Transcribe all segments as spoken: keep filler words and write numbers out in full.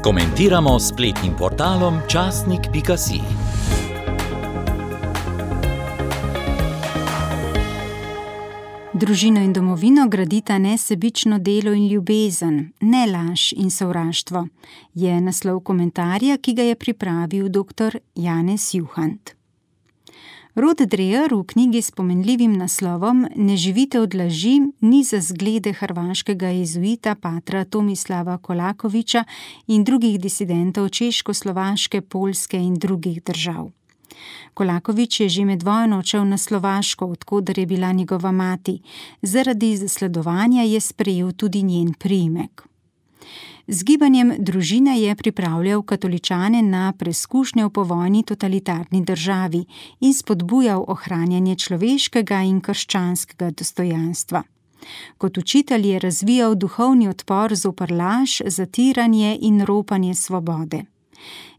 Komentiramo s spletnim portalom časnik pika si. Družino in domovino gradita nesebično delo in ljubezen, ne laž in sovraštvo, je naslov komentarja, ki ga je pripravil doktor Janez Juhant. Rod Dreher v knjigi s pomenljivim naslovom Ne živite od laži ni za zglede hrvaškega jezuita patra Tomislava Kolakovića in drugih disidentov Češko-Slovaške, Poljske in drugih držav. Kolaković je že med vojno odšel na Slovaško, od koder je bila njegova mati. Zaradi zasledovanja je sprejel tudi njen priimek. Z gibanjem Družine je pripravljal katoličane na preskušnje v povojni totalitarni državi in spodbujal ohranjanje človeškega in krščanskega dostojanstva. Kot učitelj je razvijal duhovni odpor zoper laž, zatiranje in ropanje svobode.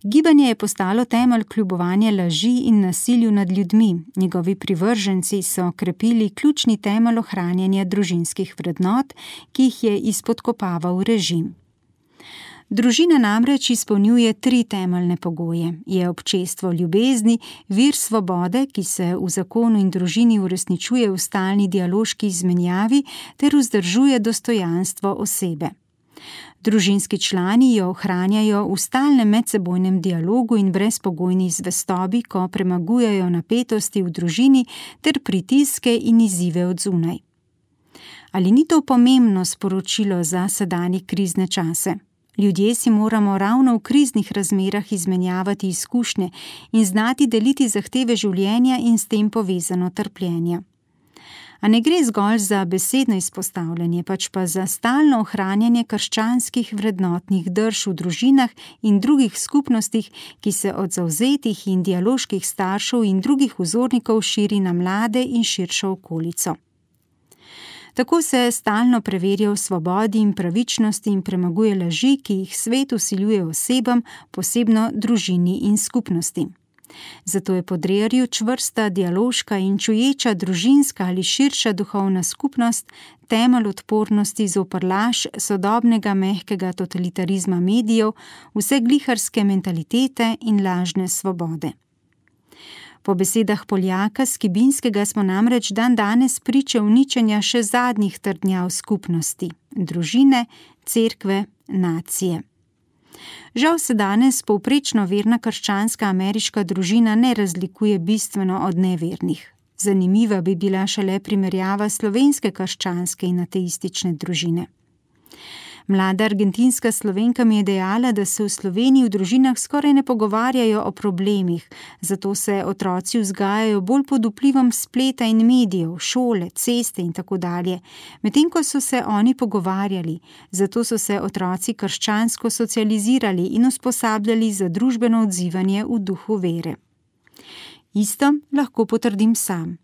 Gibanje je postalo temelj kljubovanja laži in nasilju nad ljudmi. Njegovi privrženci so krepili ključni temelj ohranjanja družinskih vrednot, ki jih je izpodkopaval režim. Družina namreč izpolnjuje tri temeljne pogoje. Je občestvo ljubezni, vir svobode, ki se v zakonu in družini uresničuje v stalni dialoški izmenjavi ter vzdržuje dostojanstvo osebe. Družinski člani jo ohranjajo v stalnem medsebojnem dialogu in brezpogojni zvestobi, ko premagujejo napetosti v družini ter pritiske in izzive od zunaj. Ali ni to pomembno sporočilo za sedanje krizne čase? Ljudje si moramo ravno v kriznih razmerah izmenjavati izkušnje in znati deliti zahteve življenja in s tem povezano trpljenje. A ne gre zgolj za besedno izpostavljanje, pač pa za stalno ohranjanje krščanskih vrednotnih drž v družinah in drugih skupnostih, ki se od zavzetih in dialoških staršev in drugih vzornikov širi na mlade in širšo okolico. Tako se stalno preverja v svobodi in pravičnosti in premaguje laži, ki jih svet vsiljuje osebam, posebno družini in skupnosti. Zato je po Dreherju čvrsta, dialoška in čuječa družinska ali širša duhovna skupnost temelj odpornosti zoper laž sodobnega mehkega totalitarizma medijev, vse gliharske mentalitete in lažne svobode. Po besedah Poljaka Skibinskega smo namreč dan danes priče uničenja še zadnjih trdnjav skupnosti, družine, cerkve, nacije. Žal se danes povprečno verna krščanska ameriška družina ne razlikuje bistveno od nevernih. Zanimiva bi bila šele primerjava slovenske krščanske in ateistične družine. Mlada argentinska Slovenka mi je dejala, da se v Sloveniji v družinah skoraj ne pogovarjajo o problemih, zato se otroci vzgajajo bolj pod vplivom spleta in medijev, šole, ceste in tako dalje, medtem ko so se oni pogovarjali, zato so se otroci krščansko socializirali in usposabljali za družbeno odzivanje v duhu vere. Isto lahko potrdim sam.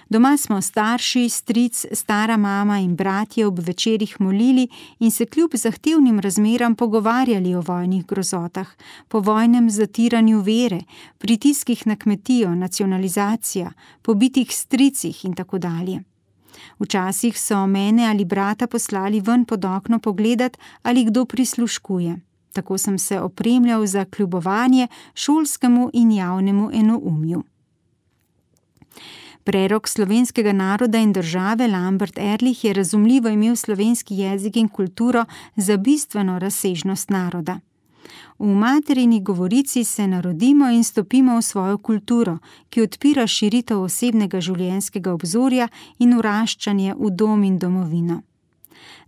Doma smo starši, stric, stara mama in bratje ob večerih molili in se kljub zahtevnim razmeram pogovarjali o vojnih grozotah, po vojnem zatiranju vere, pritiskih na kmetijo, nacionalizacija, pobitih stricih in tako dalje. Včasih so mene ali brata poslali ven pod okno pogledat, ali kdo prisluškuje. Tako sem se opremljal za kljubovanje šolskemu in javnemu enoumju. Prerok slovenskega naroda in države Lambert Ehrlich je razumljivo imel slovenski jezik in kulturo za bistveno razsežnost naroda. V materini govorici se narodimo in stopimo v svojo kulturo, ki odpira širitev osebnega življenjskega obzorja in vraščanje v dom in domovino.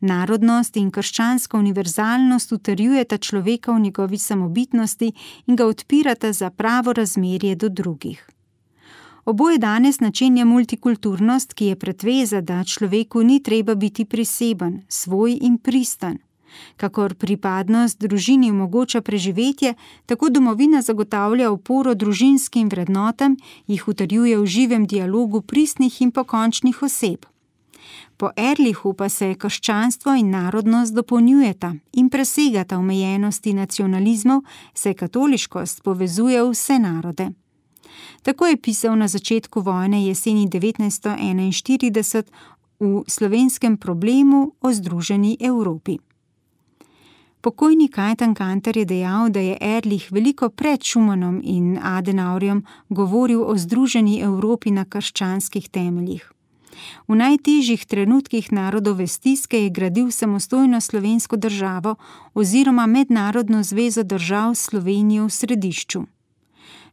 Narodnost in krščanska univerzalnost utrjujeta človeka v njegovi samobitnosti in ga odpirata za pravo razmerje do drugih. Oboje danes načenja multikulturnost, ki je pretveza, da človeku ni treba biti priseben, svoj in pristan. Kakor pripadnost družini omogoča preživetje, tako domovina zagotavlja oporo družinskim vrednotam, jih utrjuje v živem dialogu pristnih in pokončnih oseb. Po Ehrlichu pa se krščanstvo in narodnost dopolnjujeta in presegata omejenosti nacionalizmov, saj katoliškost povezuje vse narode. Tako je pisal na začetku vojne jeseni devetnajststo enainštirideset v Slovenskem problemu o združeni Evropi. Pokojni Kajtan Kantar je dejal, da je Ehrlich veliko pred Schumannom in Adenauerjem govoril o združeni Evropi na krščanskih temeljih. V najtežjih trenutkih narodove stiske je gradil samostojno slovensko državo oziroma mednarodno zvezo držav s Slovenijo v središču.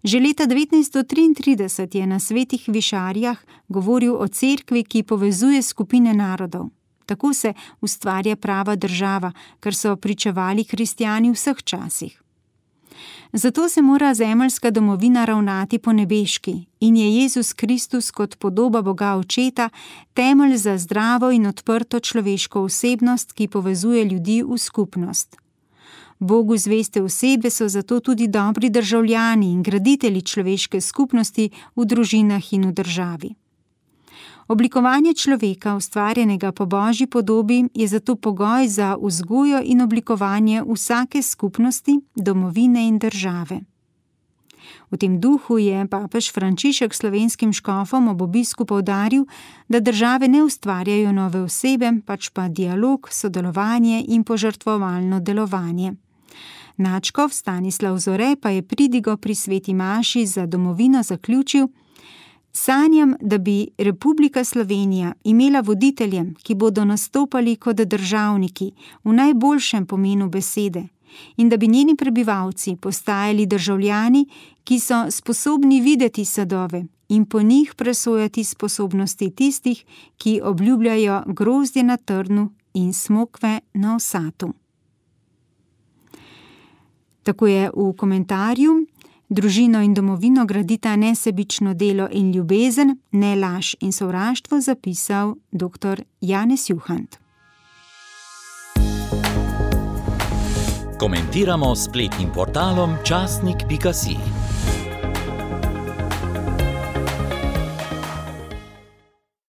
Že leta devetnajststo triintrideset je na Svetih Višarjah govoril o cerkvi, ki povezuje skupine narodov. Tako se ustvarja prava država, kar so pričevali kristjani v vseh časih. Zato se mora zemeljska domovina ravnati po nebeški in je Jezus Kristus kot podoba Boga Očeta temelj za zdravo in odprto človeško osebnost, ki povezuje ljudi v skupnost. Bogu zveste osebe so zato tudi dobri državljani in graditelji človeške skupnosti v družinah in v državi. Oblikovanje človeka, ustvarjenega po Božji podobi, je zato pogoj za vzgojo in oblikovanje vsake skupnosti, domovine in države. V tem duhu je papež Frančišek slovenskim škofom ob obisku poudaril, da države ne ustvarjajo nove osebe, pač pa dialog, sodelovanje in požrtvovalno delovanje. Nadškof Stanislav Zore pa je pridigo pri sveti maši za domovino zaključil: sanjam, da bi Republika Slovenija imela voditelje, ki bodo nastopali kot državniki v najboljšem pomenu besede in da bi njeni prebivalci postajali državljani, ki so sposobni videti sadove in po njih presojati sposobnosti tistih, ki obljubljajo grozdje na trnu in smokve na osatu. Tako je v komentarju: družino in domovino gradita nesebično delo in ljubezen, ne laž in sovraštvo, zapisal dr. Janez Juhant. Komentiramo s spletnim portalom časnik pika si.